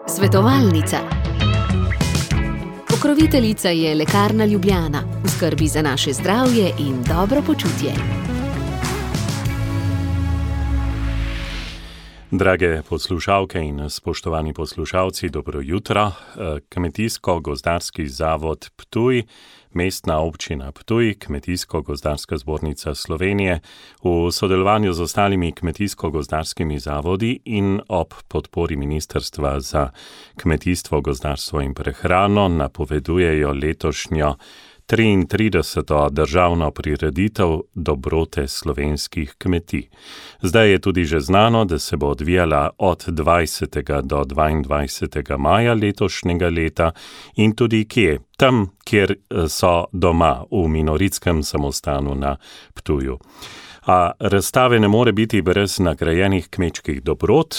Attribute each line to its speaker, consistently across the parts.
Speaker 1: Svetovalnica. Pokroviteljica je Lekarna Ljubljana, v skrbi za naše zdravje in dobro počutje.
Speaker 2: Drage poslušalke in spoštovani poslušalci, dobro jutro. Kmetijsko-gozdarski zavod Ptuj, Mestna občina Ptuj, Kmetijsko-gozdarska zbornica Slovenije v sodelovanju z ostalimi kmetijsko-gozdarskimi zavodi in ob podpori Ministrstva za kmetijstvo, gozdarstvo in prehrano napovedujejo letošnjo 33. državno prireditev Dobrote slovenskih kmetij. Zdaj je tudi že znano, da se bo odvijala od 20. do 22. maja letošnjega leta in tudi kje? Tam, kjer so doma, v Minoritskem samostanu na Ptuju. A razstave ne more biti brez nagrajenih kmečkih dobrot,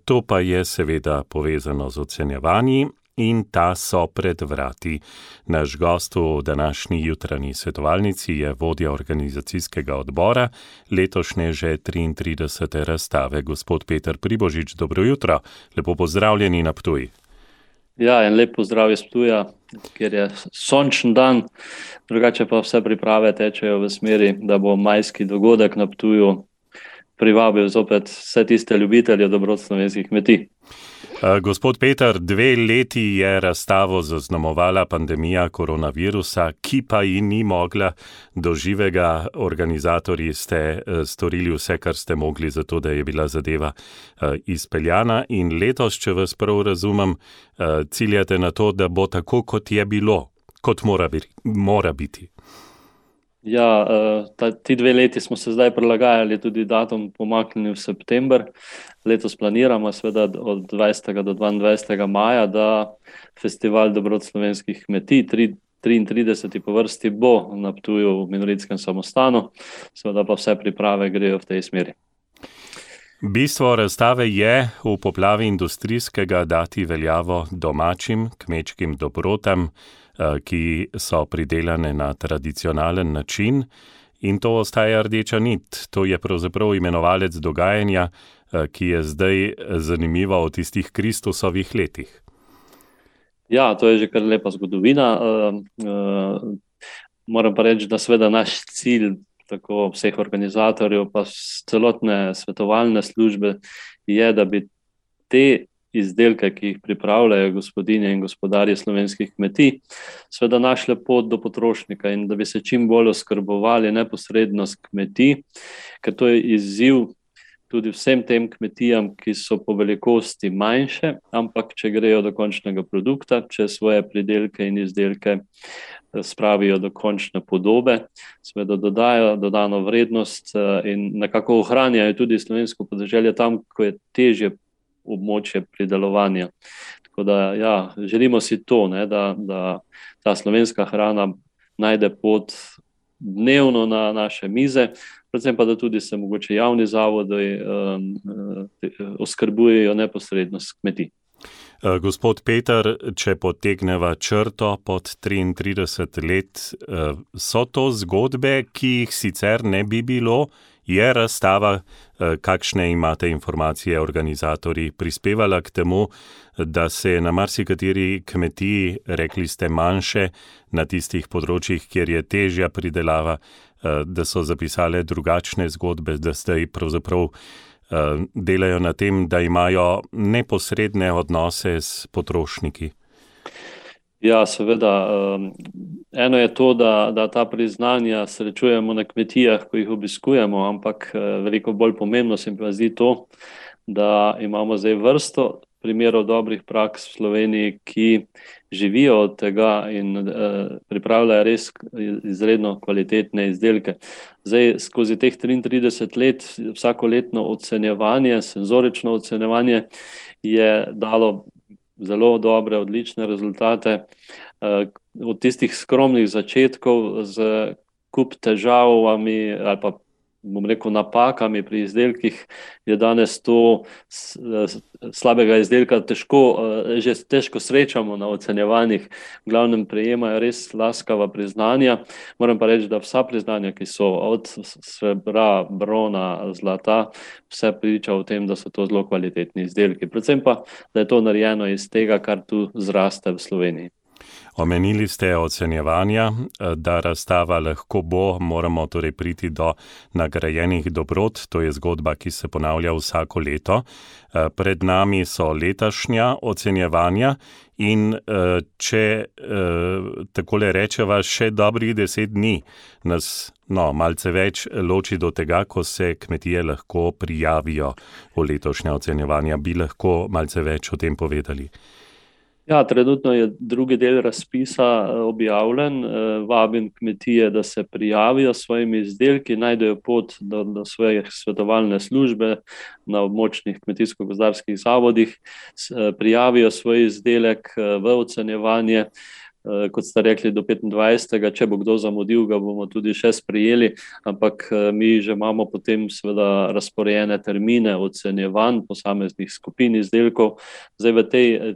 Speaker 2: to pa je seveda povezano z ocenjevanji, in ta so pred vrati. Naš gost v današnji jutranji svetovalnici je vodja organizacijskega odbora letošnje že 33. razstave, gospod Peter Pribožič. Dobro jutro, lepo pozdravljeni na Ptuj.
Speaker 3: Ja, en lep pozdrav iz Ptuja, kjer je sončen dan, drugače pa vse priprave tečejo v smeri, da bo majski dogodek na Ptuju privabil zopet vse tiste ljubitelje dobrot slovenskih kmetij.
Speaker 2: Gospod Peter, 2 leti je razstavo zaznamovala pandemija koronavirusa, ki pa ji ni mogla do živega. Organizatorji ste storili vse, kar ste mogli, zato da je bila zadeva izpeljana. In letos, če vas prav razumem, ciljate na to, da bo tako, kot je bilo, kot mora biti.
Speaker 3: Ja, ti 2 leti smo se zdaj prilagajali, tudi datum pomaknili v september. Letos planiramo seveda od 20. do 22. maja, da festival dobrot slovenskih kmetij, 33. po vrsti, bo na Ptuju v Minoritskem samostanu, seveda pa vse priprave grejo v tej smeri.
Speaker 2: Bistvo razstave je v poplavi industrijskega dati veljavo domačim kmečkim dobrotam, ki so pridelane na tradicionalen način, in to ostaja rdeča nit. To je pravzaprav imenovalec dogajanja, ki je zdaj zanimivo v tistih Kristusovih letih.
Speaker 3: Ja, to je že kar lepa zgodovina. Moram pa reči, da seveda naš cilj, tako vseh organizatorjev, pa celotne svetovalne službe, je, da bi te izdelke, ki jih pripravljajo gospodinje in gospodarji slovenskih kmetij, seveda našle pot do potrošnika in da bi se čim bolj oskrbovali neposredno s kmetij, ker to je izziv tudi vsem tem kmetijam, ki so po velikosti manjše, ampak če grejo do končnega produkta, če svoje pridelke in izdelke spravijo do končne podobe, seveda dodajo dodano vrednost in nekako ohranjajo tudi slovensko podeželje tam, ko je težje območje pridelovanja. Tako da ja, želimo si to, da ta slovenska hrana najde pot dnevno na naše mize, predvsem pa, da tudi se mogoče javni zavodi oskrbujejo neposredno s kmetij.
Speaker 2: Gospod Peter, če potegneva črto pod 33 let, so to zgodbe, ki jih sicer ne bi bilo? Je razstava, kakšne imate informacije organizatorji, prispevala k temu, da se je na marsikateri kmetiji, rekli ste manjše, na tistih področjih, kjer je težja pridelava, da so zapisale drugačne zgodbe, da zdaj pravzaprav delajo na tem, da imajo neposredne odnose s potrošniki?
Speaker 3: Ja, seveda. Eno je to, da ta priznanja srečujemo na kmetijah, ko jih obiskujemo, ampak veliko bolj pomembno se mi pa zdi to, da imamo zdaj vrsto primerov dobrih praks v Sloveniji, ki živijo od tega in pripravljajo res izredno kvalitetne izdelke. Zdaj, skozi teh 33 let, vsakoletno ocenjevanje, senzorično ocenjevanje je dalo zelo dobre, odlične rezultate. Od tistih skromnih začetkov z kup težavami ali pa bom rekel, napakami pri izdelkih, je danes to slabega izdelka težko srečamo na ocenjevanjih. V glavnem prejemajo res laskava priznanja. Moram pa reči, da vsa priznanja, ki so od srebra, brona, zlata, vse priča o tem, da so to zelo kvalitetni izdelki. Predvsem pa, da je to narejeno iz tega, kar tu zraste v Sloveniji.
Speaker 2: Omenili ste ocenjevanja, da razstava lahko bo, moramo torej priti do nagrajenih dobrot, to je zgodba, ki se ponavlja vsako leto. Pred nami so letošnja ocenjevanja in če takole rečeva, še dobrih 10 dni nas malce več loči do tega, ko se kmetije lahko prijavijo v letošnja ocenjevanja. Bi lahko malce več o tem povedali?
Speaker 3: Ja, trenutno je drugi del razpisa objavljen. Vabim kmetije, da se prijavijo s svojimi izdelki, najdejo pot do svoje svetovalne službe na območnih kmetijsko-gozdarskih zavodih, prijavijo svoj izdelek v ocenjevanje. Kot ste rekli, do 25. Če bo kdo zamudil, ga bomo tudi še sprejeli, ampak mi že imamo potem seveda razporejene termine ocenjevanj posameznih skupin izdelkov. Zdaj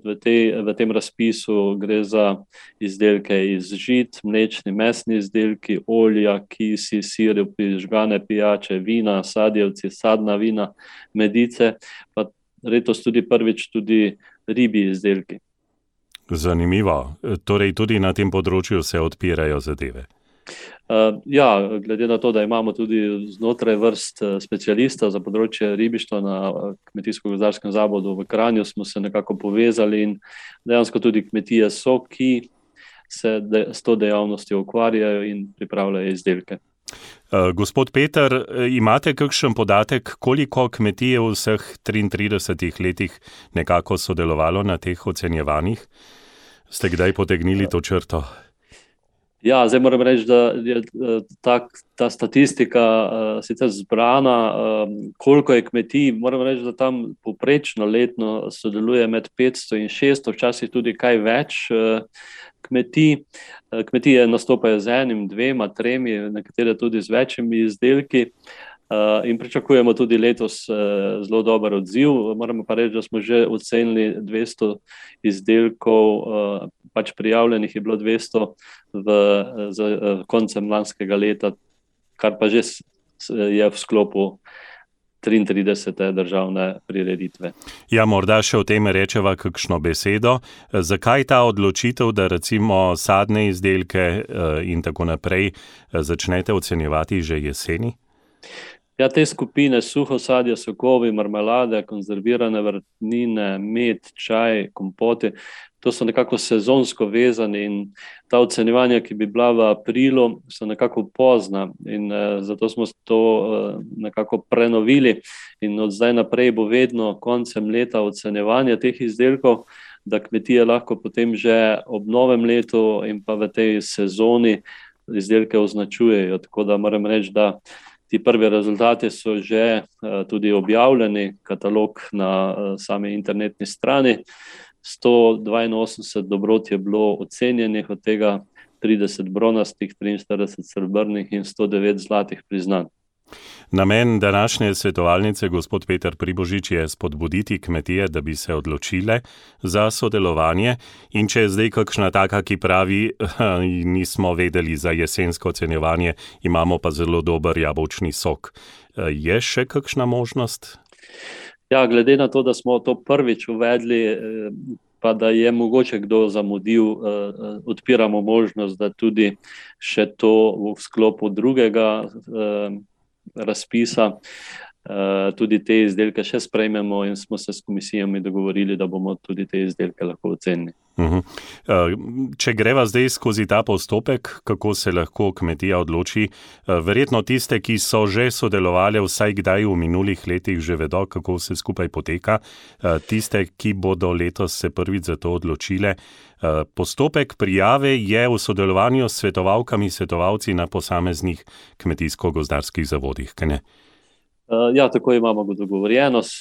Speaker 3: v tem razpisu gre za izdelke iz žit, mlečni, mesni izdelki, olja, kisi, sirupi, žgane pijače, vina, sadjevci, sadna vina, medice, pa letos tudi prvič tudi ribji izdelki.
Speaker 2: Zanimivo. Torej tudi na tem področju se odpirajo zadeve.
Speaker 3: Ja, glede na to, da imamo tudi znotraj vrst specialista za področje ribištva na Kmetijsko-gozdarskem zavodu v Kranju, smo se nekako povezali in dejansko tudi kmetije so, ki se s to dejavnostjo ukvarjajo in pripravljajo izdelke.
Speaker 2: Gospod Peter, imate kakšen podatek, koliko kmetij v vseh 33 letih nekako sodelovalo na teh ocenjevanjih? Ste kdaj potegnili to črto?
Speaker 3: Ja, zdaj moram reči, da je ta statistika sicer zbrana, koliko je kmetij. Moram reči, da tam povprečno letno sodeluje med 500 in 600, včasih tudi kaj več kmetij. Kmetije nastopajo z enim, dvema, tremi, nekatere tudi z večjimi izdelki. In pričakujemo tudi letos zelo dober odziv. Moramo pa reči, da smo že ocenili 200 izdelkov, pač prijavljenih je bilo 200 z koncem lanskega leta, kar pa že je v sklopu 33. državne prireditve.
Speaker 2: Ja, morda še o tem rečeva kakšno besedo. Zakaj ta odločitev, da recimo sadne izdelke in tako naprej začnete ocenjevati že jeseni?
Speaker 3: Ja, te skupine suho sadje, sokovi, marmelade, konzervirane vrtnine, med, čaj, kompoti, to so nekako sezonsko vezani in ta ocenjevanja, ki bi bila v aprilu, so nekako pozna in zato smo to nekako prenovili in od zdaj naprej bo vedno koncem leta ocenjevanje teh izdelkov, da kmetije lahko potem že ob novem letu in pa v tej sezoni izdelke označujejo. Tako da moram reči, da ti prvi rezultati so že tudi objavljeni, katalog na sami internetni strani. 182 dobrot je bilo ocenjenih, od tega 30 bronastih, 43 srebrnih in 109 zlatih priznanj.
Speaker 2: Namen današnje svetovalnice, gospod Peter Pribožič, je spodbuditi kmetije, da bi se odločile za sodelovanje. In če je zdaj kakšna taka, ki pravi, nismo vedeli za jesensko ocenjevanje, imamo pa zelo dober jabolčni sok. Je še kakšna možnost?
Speaker 3: Ja, glede na to, da smo to prvič uvedli, pa da je mogoče kdo zamudil, odpiramo možnost, da tudi še to v sklopu drugega razpisa tudi te izdelke še sprejmemo in smo se s komisijami dogovorili, da bomo tudi te izdelke lahko ocenili.
Speaker 2: Če greva zdaj skozi ta postopek, kako se lahko kmetija odloči, verjetno tiste, ki so že sodelovali vsaj kdaj v minulih letih, že vedo, kako vse skupaj poteka. Tiste, ki bodo letos se prvič za to odločile, postopek prijave je v sodelovanju s svetovalkami, svetovalci na posameznih kmetijsko-gozdarskih zavodih, kaj ne?
Speaker 3: Ja, tako imamo dogovorjeno s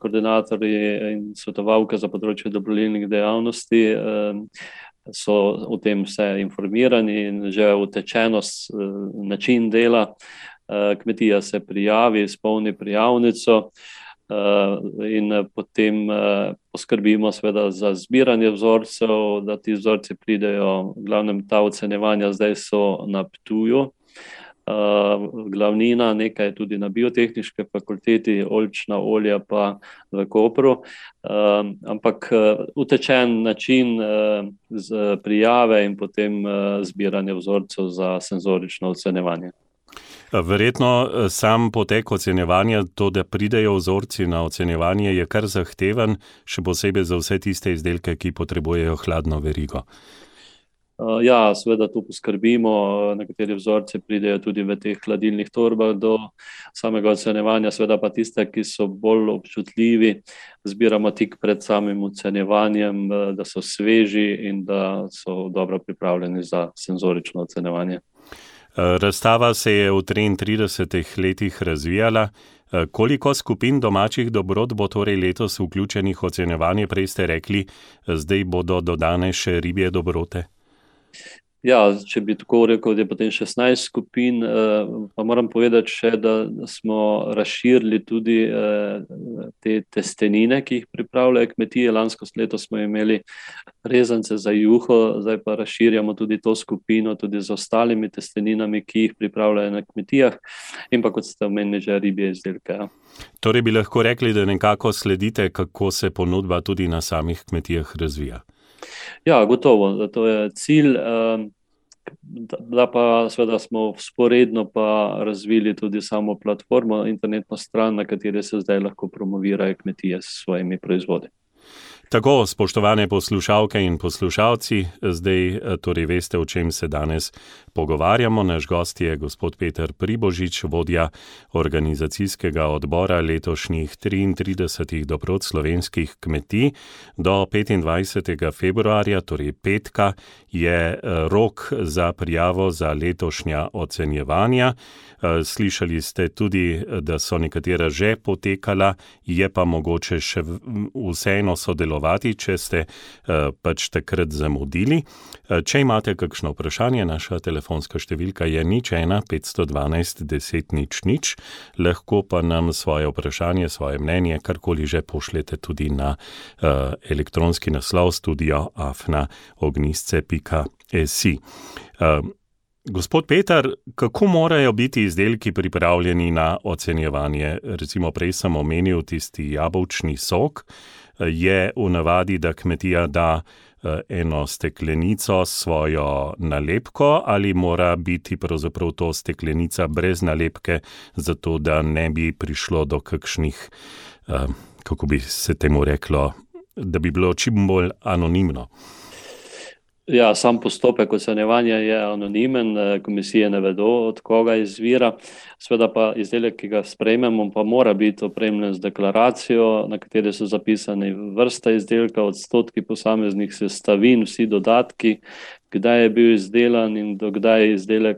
Speaker 3: koordinatorji in svetovalke za področje dobrodelnih dejavnosti. So o tem vse informirani in že utečeno način dela. kmetija se prijavi, izpolni prijavnico in potem poskrbimo seveda za zbiranje vzorcev, da ti vzorci pridejo, v glavnem ta ocenjevanja zdaj so na Ptuju. Glavnina, nekaj tudi na biotehniški fakulteti, oljčna olja pa v Kopru, ampak utečen način z prijave in potem zbiranje vzorcev za senzorično ocenjevanje.
Speaker 2: Verjetno sam potek ocenjevanja, to, da pridejo vzorci na ocenjevanje, je kar zahteven, še posebej za vse tiste izdelke, ki potrebujejo hladno verigo.
Speaker 3: Ja, seveda tu poskrbimo, nekateri vzorci pridejo tudi v teh hladilnih torbah do samega ocenjevanja, seveda pa tiste, ki so bolj občutljivi, zbiramo tik pred samim ocenjevanjem, da so sveži in da so dobro pripravljeni za senzorično ocenjevanje.
Speaker 2: Razstava se je v 33 letih razvijala. Koliko skupin domačih dobrot bo torej letos vključenih v ocenjevanje? Prej ste rekli, zdaj bodo dodane še ribje dobrote.
Speaker 3: Ja, če bi tako rekel, da je potem 16 skupin, pa moram povedati še, da smo razširili tudi te testenine, ki jih pripravljajo kmetije. Lansko leto smo imeli rezance za juho, zdaj pa razširjamo tudi to skupino, tudi z ostalimi testeninami, ki jih pripravljajo na kmetijah in pa, kot ste omenili, že ribje izdelke. Ja.
Speaker 2: Torej bi lahko rekli, da nekako sledite, kako se ponudba tudi na samih kmetijah razvija.
Speaker 3: Ja, gotovo, to je cilj, da pa seveda smo vzporedno pa razvili tudi samo platformo, internetno stran, na kateri se zdaj lahko promovirajo kmetije s svojimi proizvodi.
Speaker 2: Tako, spoštovane poslušalke in poslušalci, zdaj torej veste, o čem se danes pogovarjamo. Naš gost je gospod Peter Pribožič, vodja organizacijskega odbora letošnjih 33 dobrot slovenskih kmetij. Do 25. februarja, torej petka, je rok za prijavo za letošnja ocenjevanja. Slišali ste tudi, da so nekatera že potekala, je pa mogoče še vseeno sodelovati, če ste pač takrat zamudili. Če imate kakšno vprašanje, naša telefonska številka je 01 512 10 00, lahko pa nam svoje vprašanje, svoje mnenje, karkoli že pošljete tudi na elektronski naslov studio@ognjisce.si. Gospod Peter, kako morajo biti izdelki pripravljeni na ocenjevanje? Recimo prej sem omenil tisti jabolčni sok. Je v navadi, da kmetija da eno steklenico svojo nalepko ali mora biti pravzaprav to steklenica brez nalepke, zato da ne bi prišlo do kakšnih, kako bi se temu reklo, da bi bilo čim bolj anonimno?
Speaker 3: Ja, sam postopek ocenjevanja je anonimen, komisije ne vedo, od koga izvira. Seveda pa izdelek, ki ga sprejmemo, pa mora biti opremljen z deklaracijo, na kateri so zapisani vrsta izdelka, odstotki posameznih sestavin, vsi dodatki, kdaj je bil izdelan in do kdaj izdelek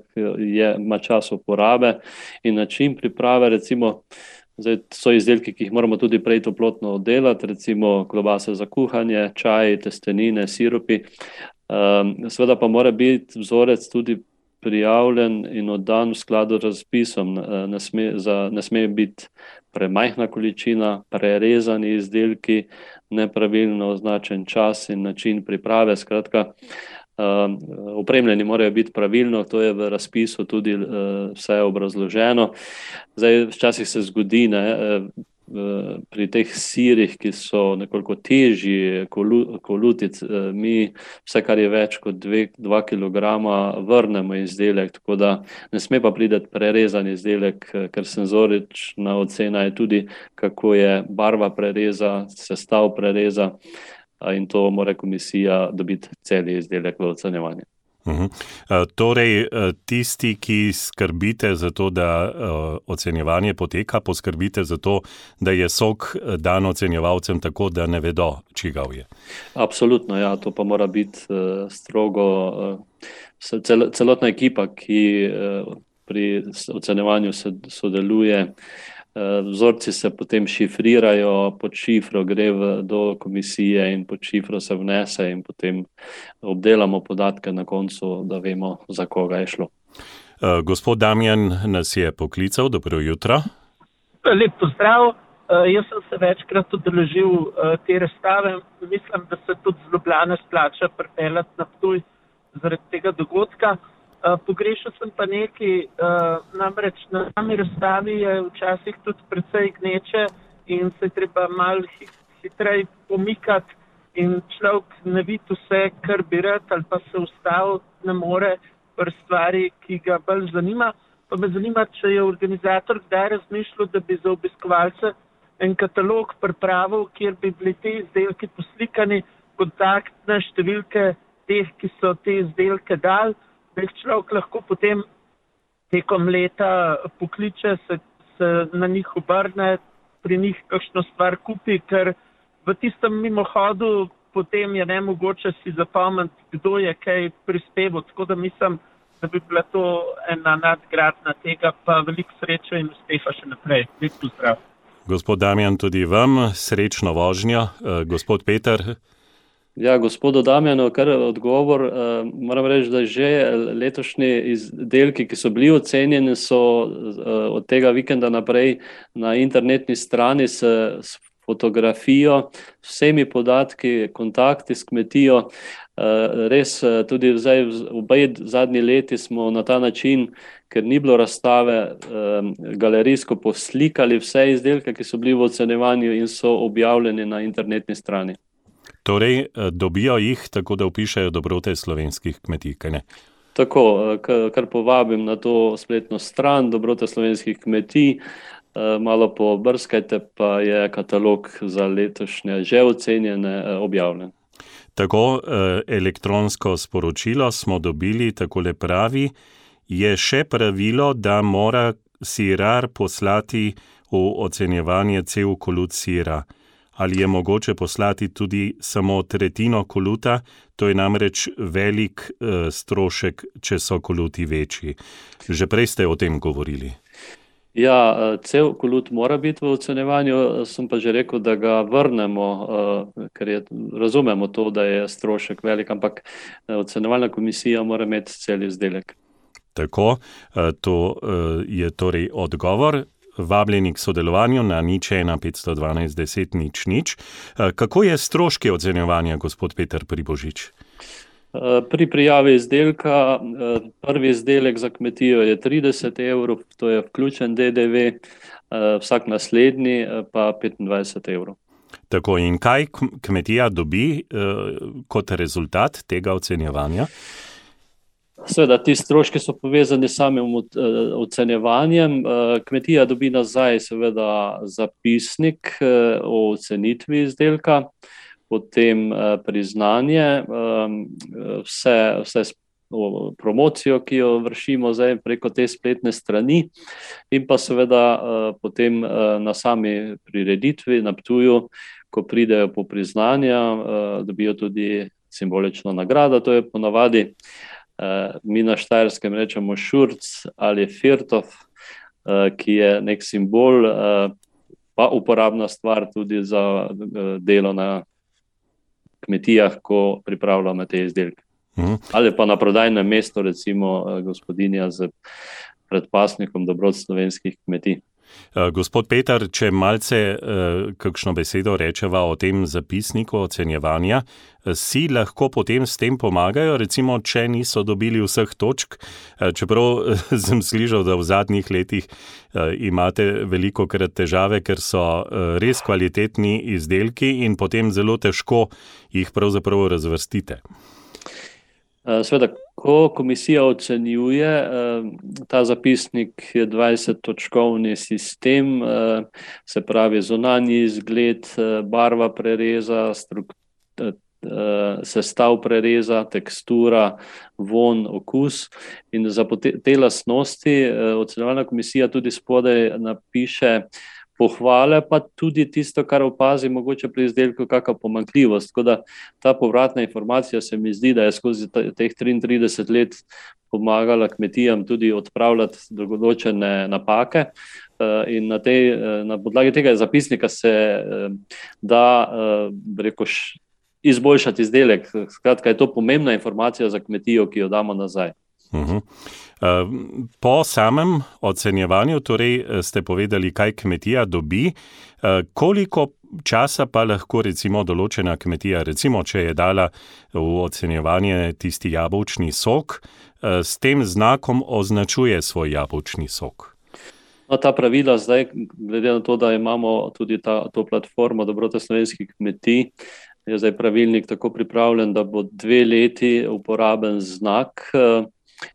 Speaker 3: ima čas uporabe in način priprave. Recimo, zdaj so izdelki, ki jih moramo tudi prej toplotno oddelati, recimo klobase za kuhanje, čaj, testenine, sirupi. Seveda pa mora biti vzorec tudi prijavljen in oddan v skladu z razpisom. Ne sme biti premajhna količina, prerezani izdelki, nepravilno označen čas in način priprave. Skratka, opremljeni morajo biti pravilno, to je v razpisu tudi vse obrazloženo. Zdaj, včasih se zgodi, pri teh sirih, ki so nekoliko težji kolutic, mi vse, kar je več kot 2 kilograma, vrnemo izdelek, tako da ne sme pa priti prerezan izdelek, ker senzorična ocena je tudi, kako je barva prereza, sestav prereza in to mora komisija dobiti cel izdelek v ocenjevanje.
Speaker 2: Torej, tisti, ki skrbite za to, da ocenjevanje poteka, poskrbite za to, da je sok dan ocenjevalcem tako, da ne vedo, čigav je.
Speaker 3: Absolutno, ja, to pa mora biti strogo celotna ekipa, ki pri ocenjevanju sodeluje. Vzorci se potem šifrirajo, pod šifro gre do komisije in pod šifro se vnese in potem obdelamo podatke na koncu, da vemo, za koga je šlo.
Speaker 2: Gospod Damjan nas je poklical, dobro jutro.
Speaker 4: Lep pozdrav. Jaz sem se večkrat udeležil te razstave. Mislim, da se tudi z Ljubljane splača pripeljati na Ptuj zaradi tega dogodka. Pogrešal sem pa nekaj, namreč na sami razstavi je včasih tudi precej gneče in se je treba malo hitreje pomikati in človek ne vidi vse, kar bi rad, ali pa se ustaviti ne more pri stvari, ki ga bolj zanima. Pa me zanima, če je organizator kdaj razmišljal, da bi za obiskovalce en katalog pripravil, kjer bi bili te izdelki poslikani, kontaktne številke teh, ki so te izdelke dali, da jih človek lahko potem tekom leta pokliče, se na njih obrne, pri njih kakšno stvar kupi, ker v tistem mimohodu potem je nemogoče si zapomniti, kdo je kaj prispeval. Tako da mislim, da bi bila to ena nadgradnja tega, pa veliko sreče in uspeha še naprej. Lep pozdrav.
Speaker 2: Gospod Damjan, tudi vam srečno vožnjo. Gospod Peter.
Speaker 3: Ja, gospodu Damjanu, kar odgovor, moram reči, da že letošnji izdelki, ki so bili ocenjeni, so od tega vikenda naprej na internetni strani s fotografijo, vsemi podatki, kontakti s kmetijo. Res tudi zdaj v obe zadnji leti smo na ta način, ker ni bilo razstave, galerijsko poslikali vse izdelke, ki so bili v ocenjevanju in so objavljeni na internetni strani.
Speaker 2: Torej, dobijo jih tako, da vpišejo dobrote slovenskih kmetij, kaj ne?
Speaker 3: Tako, kar povabim na to spletno stran dobrote slovenskih kmetij, malo pobrskajte, pa je katalog za letošnje že ocenjene objavljen.
Speaker 2: Tako, elektronsko sporočilo smo dobili, takole pravi, je še pravilo, da mora sirar poslati v ocenjevanje cel kolut sira. Ali je mogoče poslati tudi samo tretjino koluta? To je namreč velik strošek, če so koluti večji. Že prej ste o tem govorili.
Speaker 3: Ja, cel kolut mora biti v ocenjevanju, sem pa že rekel, da ga vrnemo, ker razumemo to, da je strošek velik, ampak ocenjevalna komisija mora imeti cel izdelek.
Speaker 2: Tako, to je torej odgovor. Vabljeni k sodelovanju na 01 512 10 00. Kako je stroški ocenjevanja, gospod Peter Pribožič?
Speaker 3: Pri prijavi izdelka, prvi izdelek za kmetijo je 30 €, to je vključen DDV, vsak naslednji pa 25 €.
Speaker 2: Tako, in kaj kmetija dobi kot rezultat tega ocenjevanja?
Speaker 3: Seveda, ti stroški so povezani s samim ocenjevanjem. Kmetija dobi nazaj seveda zapisnik o ocenitvi izdelka, potem priznanje, vse promocijo, ki jo vršimo zdaj preko te spletne strani, in pa seveda potem na sami prireditvi na Ptuju, ko pridejo po priznanja, dobijo tudi simbolično nagrado. To je ponavadi, mi na Štajerskem rečemo šurc ali firtov, ki je nek simbol, pa uporabna stvar tudi za delo na kmetijah, ko pripravljamo te izdelke. Ali pa na prodajnem mestu, recimo gospodinja z predpasnikom dobrot slovenskih kmetij.
Speaker 2: Gospod Peter, če malce kakšno besedo rečeva o tem zapisniku ocenjevanja, si lahko potem s tem pomagajo, recimo, če niso dobili vseh točk, čeprav sem slišal, da v zadnjih letih imate velikokrat težave, ker so res kvalitetni izdelki in potem zelo težko jih pravzaprav razvrstite.
Speaker 3: Seveda, ko komisija ocenjuje, ta zapisnik je 20-točkovni sistem, se pravi zunanji izgled, barva prereza, sestav prereza, tekstura, vonj, okus. In za te lastnosti ocenjevalna komisija tudi spodaj napiše pohvale, pa tudi tisto, kar opazi mogoče pri izdelku, kakšna pomanjkljivost. Tako da ta povratna informacija se mi zdi, da je skozi teh 33 let pomagala kmetijam tudi odpravljati določene napake. In na podlagi tega zapisnika se da, izboljšati izdelek. Skratka, je to pomembna informacija za kmetijo, ki jo damo nazaj.
Speaker 2: Po samem ocenjevanju, torej ste povedali, kaj kmetija dobi, koliko časa pa lahko recimo določena kmetija, recimo če je dala v ocenjevanje tisti jabolčni sok, s tem znakom označuje svoj jabolčni sok?
Speaker 3: No, ta pravila zdaj, glede na to, da imamo tudi to platformo Dobrote slovenskih kmetij, je zdaj pravilnik tako pripravljen, da bo 2 leti uporaben znak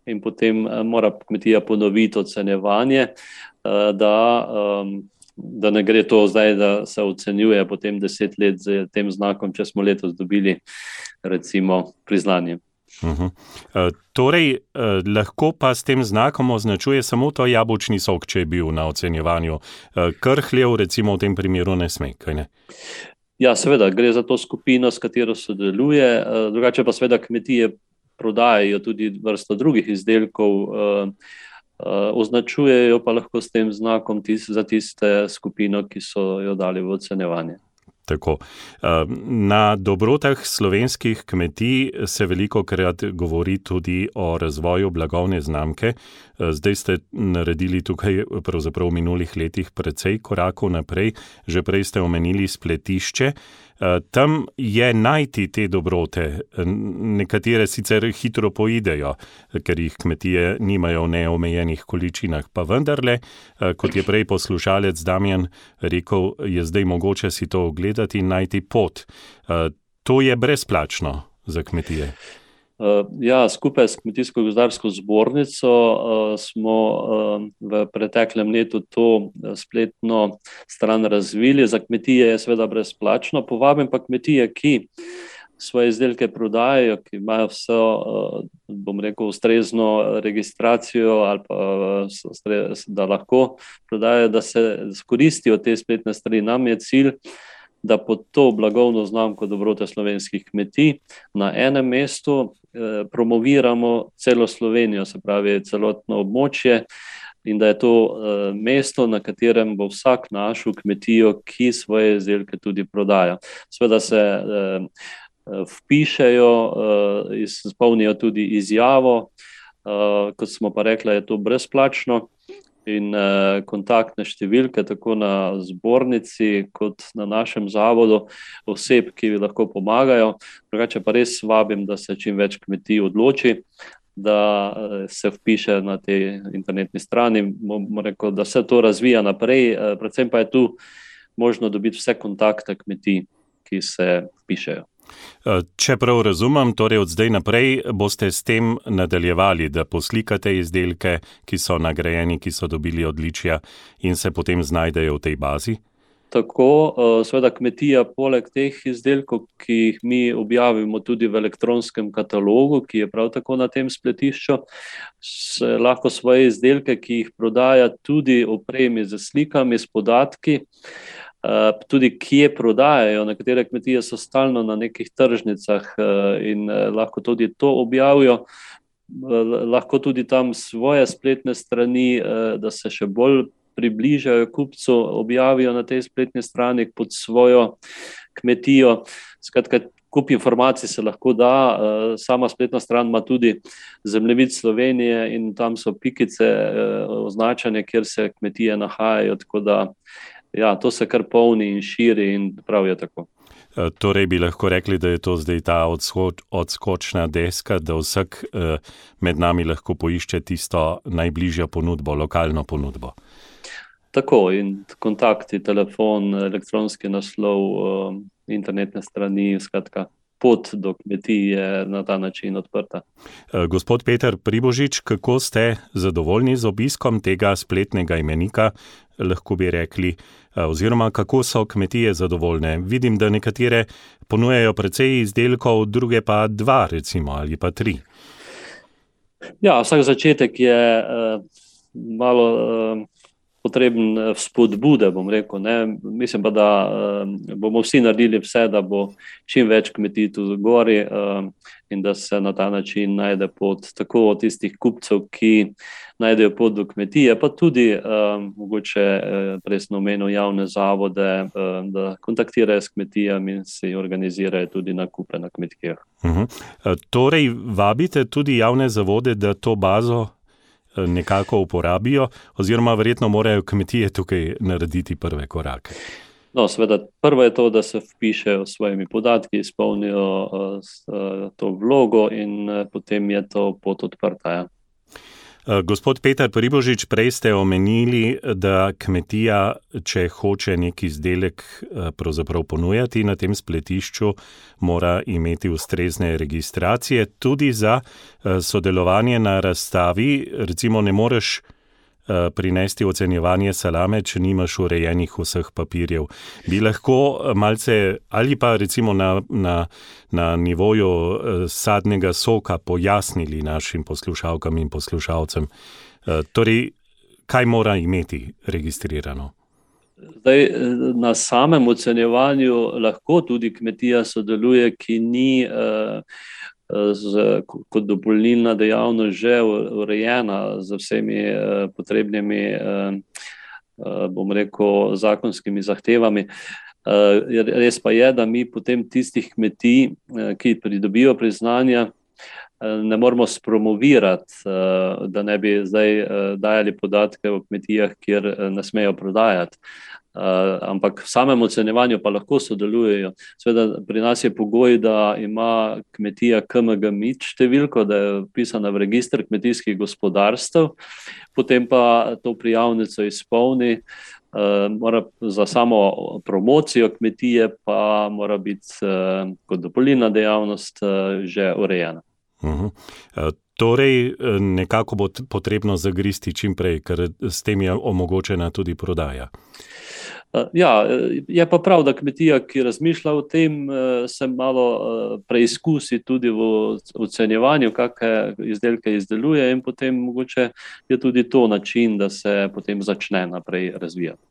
Speaker 3: in potem mora kmetija ponoviti ocenjevanje, da ne gre to zdaj, da se ocenjuje potem 10 let z tem znakom, če smo letos dobili recimo priznanje.
Speaker 2: Torej, lahko pa s tem znakom označuje samo to jabolčni sok, če je bil na ocenjevanju. Krhljev recimo v tem primeru ne sme, kaj ne?
Speaker 3: Ja, seveda, gre za to skupino, s katero sodeluje, drugače pa seveda kmetije prodajajo tudi vrsto drugih izdelkov, označujejo pa lahko s tem znakom za tiste skupino, ki so jo dali v ocenjevanje.
Speaker 2: Tako. Na dobrotah slovenskih kmetij se velikokrat govori tudi o razvoju blagovne znamke. Zdaj ste naredili tukaj pravzaprav v minulih letih precej korakov naprej. Že prej ste omenili spletišče. Tam je najti te dobrote. Nekatere sicer hitro poidejo, ker jih kmetije nimajo v neomejenih količinah, pa vendarle, kot je prej poslušalec Damjan rekel, je zdaj mogoče si to ogledati in najti pot. To je brezplačno za kmetije.
Speaker 3: Ja, skupaj s Kmetijsko-gozdarsko zbornico smo v preteklem letu to spletno stran razvili. Za kmetije je seveda brezplačno. Povabim pa kmetije, ki svoje izdelke prodajajo, ki imajo vso, bom rekel, ustrezno registracijo ali pa da lahko prodajajo, da se skoristijo te spletne strani. Nam je cilj, da pod to blagovno znamko Dobrote slovenskih kmetij na enem mestu promoviramo celo Slovenijo, se pravi celotno območje, in da je to mesto, na katerem bo vsak našel kmetijo, ki svoje izdelke tudi prodaja. Seveda se vpišejo, izpolnijo tudi izjavo, kot smo pa rekla, je to brezplačno. In kontaktne številke tako na zbornici kot na našem zavodu oseb, ki lahko pomagajo. Drugače pa res vabim, da se čim več kmetij odloči, da se vpiše na tej internetni strani. Bom rekel, da se to razvija naprej, predvsem pa je tu možno dobiti vse kontakte kmetij, ki se vpišejo.
Speaker 2: Če prav razumem, torej od zdaj naprej boste s tem nadaljevali, da poslikate izdelke, ki so nagrajeni, ki so dobili odličja in se potem znajdejo v tej bazi?
Speaker 3: Tako, seveda kmetija poleg teh izdelkov, ki jih mi objavimo tudi v elektronskem katalogu, ki je prav tako na tem spletišču, se lahko svoje izdelke, ki jih prodaja, tudi opremi z slikami, s podatki, tudi kje prodajajo. Nekatere kmetije so stalno na nekih tržnicah in lahko tudi to objavijo. Lahko tudi tam svoje spletne strani, da se še bolj približajo kupcu, objavijo na tej spletni strani pod svojo kmetijo. Skratka, kup informacij se lahko da. Sama spletna stran ima tudi zemljevid Slovenije in tam so pikice označene, kjer se kmetije nahajajo, tako da ja, to se kar polni in širi in prav je tako.
Speaker 2: Torej bi lahko rekli, da je to zdaj ta odskočna deska, da vsak med nami lahko poišče tisto najbližjo ponudbo, lokalno ponudbo.
Speaker 3: Tako, in kontakti, telefon, elektronski naslov, internetne strani, skratka, pot do kmetij je na ta način odprta.
Speaker 2: Gospod Peter Pribožič, kako ste zadovoljni z obiskom tega spletnega imenika, lahko bi rekli, oziroma kako so kmetije zadovoljne? Vidim, da nekatere ponujajo precej izdelkov, druge pa 2 recimo, ali pa 3.
Speaker 3: Ja, vsak začetek je malo potreben spodbude, bom rekel. Ne. Mislim pa, da bomo vsi naredili vse, da bo čim več kmetij tudi gori in da se na ta način najde pot tako od tistih kupcev, ki najdejo pot do kmetije, pa tudi mogoče presno omenil javne zavode, da kontaktirajo s kmetijami in si organizirajo tudi nakupe na kmetijah.
Speaker 2: Torej, vabite tudi javne zavode, da to bazo nekako uporabijo, oziroma verjetno morajo kmetije tukaj narediti prve korake.
Speaker 3: No, seveda, prvo je to, da se vpišejo s svojimi podatki, izpolnijo to vlogo in potem je to pot odprta. Ja.
Speaker 2: Gospod Petar Pribožič, prej ste omenili, da kmetija, če hoče neki izdelek pravzaprav ponujati na tem spletišču, mora imeti ustrezne registracije. Tudi za sodelovanje na razstavi, recimo ne moreš prinesti ocenjevanje salame, če nimaš urejenih vseh papirjev. Bi lahko malce, ali pa recimo na nivoju sadnega soka pojasnili našim poslušalkam in poslušalcem, torej, kaj mora imeti registrirano?
Speaker 3: Zdaj, na samem ocenjevanju lahko tudi kmetija sodeluje, ki ni kot dopolnilna dejavnost že urejena z vsemi potrebnimi, bom rekel, zakonskimi zahtevami. Res pa je, da mi potem tistih kmetij, ki pridobijo priznanja, ne moramo spromovirati, da ne bi zdaj dajali podatke o kmetijah, kjer ne smejo prodajati. Ampak v samem ocenjevanju pa lahko sodelujejo. Seveda pri nas je pogoj, da ima kmetija KMG-MID številko, da je vpisana v register kmetijskih gospodarstev, potem pa to prijavnico izpolni, mora za samo promocijo kmetije pa mora biti kot dopolnilna dejavnost že urejena.
Speaker 2: Torej, nekako bo potrebno zagristi čim prej, ker s tem je omogočena tudi prodaja.
Speaker 3: Ja, je pa prav, da kmetija, ki razmišlja o tem, se malo preizkusi tudi v ocenjevanju, kakšne izdelke izdeluje in potem mogoče je tudi to način, da se potem začne naprej razvijati.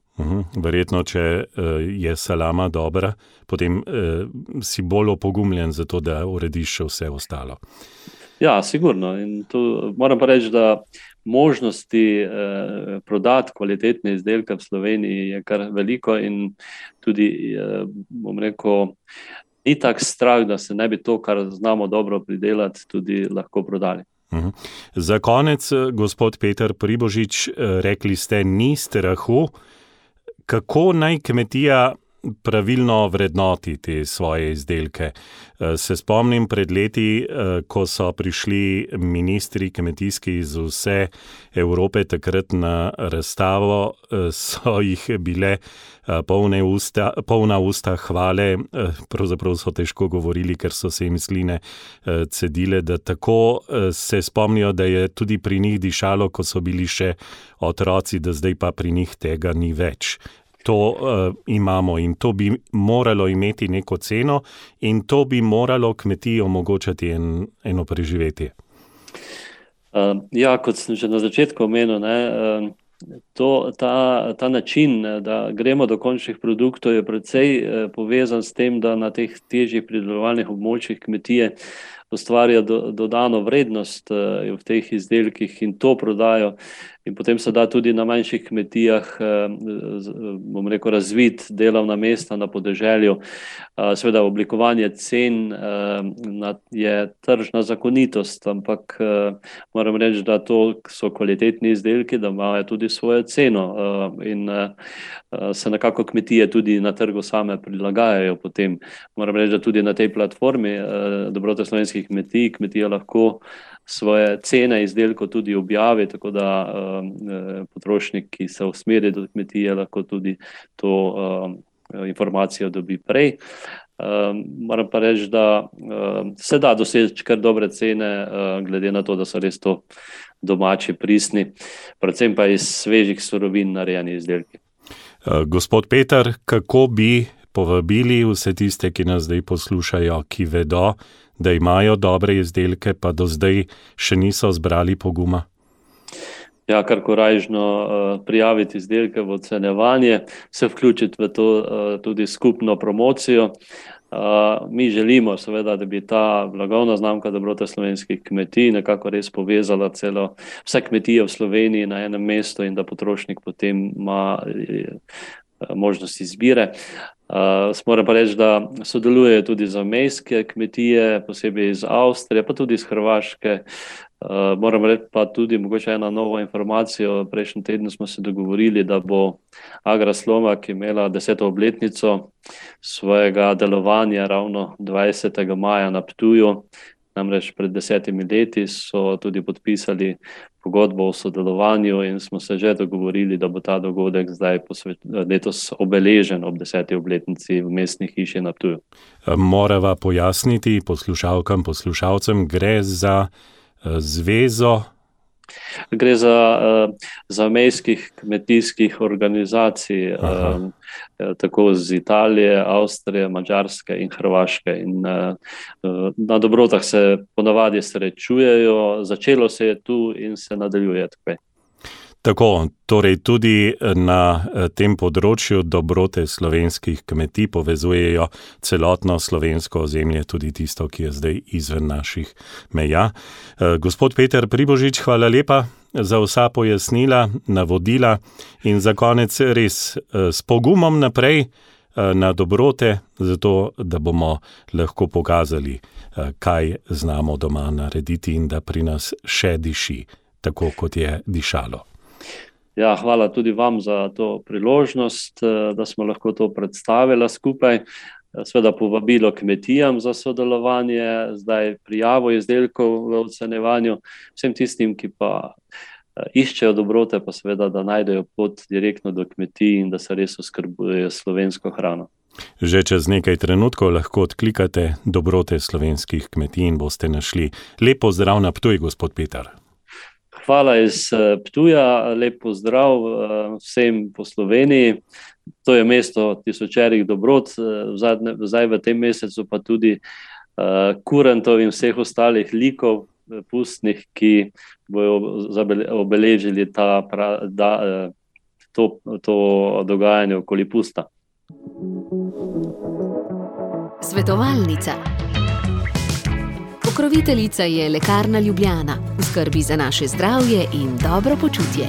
Speaker 2: Verjetno, če je salama dobra, potem si bolj opogumljen za to, da urediš še vse ostalo.
Speaker 3: Ja, sigurno. In tu moram pa reči, da možnosti prodati kvalitetne izdelke v Sloveniji je kar veliko in tudi, bom rekel, ni tak strah, da se ne bi to, kar znamo dobro pridelati, tudi lahko prodali.
Speaker 2: Za konec, gospod Petar Pribožič, rekli ste, ni strahu. Kako naj kmetija pravilno vrednoti te svoje izdelke? Se spomnim pred leti, ko so prišli ministri kmetijski iz vse Evrope takrat na razstavo, so jih bile polna usta hvale, pravzaprav so težko govorili, ker so se jim sline cedile, da tako se spomnijo, da je tudi pri njih dišalo, ko so bili še otroci, da zdaj pa pri njih tega ni več. To imamo in to bi moralo imeti neko ceno in to bi moralo kmetiji omogočati eno preživetje.
Speaker 3: Ja, kot sem že na začetku omenil, ta način, da gremo do končnih produktov, je precej povezan s tem, da na teh težjih pridelovalnih območjih kmetije ustvarja dodano vrednost v teh izdelkih in to prodajo. In potem se da tudi na manjših kmetijah, bom rekel, razviti delovna mesta na podeželju. Seveda oblikovanje cen je tržna zakonitost, ampak moram reči, da to so kvalitetni izdelki, da imajo tudi svojo ceno in se nekako kmetije tudi na trgu same prilagajajo potem. Moram reči, da tudi na tej platformi Dobrote slovenskih kmetij, kmetija lahko svoje cene izdelkov tudi objavi, tako da potrošnik, ki se usmeri do kmetije, lahko tudi to informacijo dobi prej. Moram pa reči, da se da doseči kar dobre cene, glede na to, da so res to domači, pristni, predvsem pa iz svežih surovin narejeni izdelki.
Speaker 2: Gospod Petar, kako bi povabili vse tiste, ki nas zdaj poslušajo, ki vedo, da imajo dobre izdelke, pa do zdaj še niso zbrali poguma?
Speaker 3: Ja, kar korajžno prijaviti izdelke v ocenjevanje, se vključiti v to tudi skupno promocijo. Mi želimo seveda, da bi ta blagovna znamka dobrote slovenskih kmetij nekako res povezala vse kmetije v Sloveniji na enem mestu in da potrošnik potem ima možnost izbire. Moram pa reči, da sodelujejo tudi zamejske kmetije, posebej iz Avstrije, pa tudi iz Hrvaške. Moram reči pa tudi mogoče ena nova informacija. Prejšnji teden smo se dogovorili, da bo Agraslomak imela 10. obletnico svojega delovanja ravno 20. maja na Ptuju. Namreč pred 10 leti so tudi podpisali pogodbo o sodelovanju in smo se že dogovorili, da bo ta dogodek zdaj letos obeležen ob 10. obletnici v mestni hiši na Ptuju.
Speaker 2: Morava pojasniti poslušalkam, poslušalcem, gre za zvezo?
Speaker 3: Gre za zamejskih kmetijskih organizacij, tako iz Italije, Avstrije, Madžarske in Hrvaške. In na dobrotah se ponavadi srečujejo, začelo se je tu in se nadaljuje tukaj.
Speaker 2: Tako, torej tudi na tem področju dobrote slovenskih kmetij povezujejo celotno slovensko ozemlje, tudi tisto, ki je zdaj izven naših meja. Gospod Peter Pribožič, hvala lepa za vsa pojasnila, navodila in za konec res s pogumom naprej na dobrote, zato da bomo lahko pokazali, kaj znamo doma narediti in da pri nas še diši, tako kot je dišalo.
Speaker 3: Ja, hvala tudi vam za to priložnost, da smo lahko to predstavili skupaj. Seveda povabilo kmetijam za sodelovanje, zdaj prijavo izdelkov v ocenjevanju, vsem tistim, ki pa iščejo dobrote, pa seveda, da najdejo pot direktno do kmetij in da se res oskrbujejo slovensko hrano.
Speaker 2: Že čez nekaj trenutkov lahko odklikate dobrote slovenskih kmetij in boste našli. Lep pozdrav na Ptuj, gospod Peter.
Speaker 3: Hvala iz Ptuja, lep pozdrav vsem po Sloveniji. To je mesto tisočerih dobrot, zdaj v tem mesecu pa tudi kurentov in vseh ostalih likov pustnih, ki bojo obeležili to dogajanje okoli pusta.
Speaker 1: Svetovalnica. Pokroviteljica je Lekarna Ljubljana, v skrbi za naše zdravje in dobro počutje.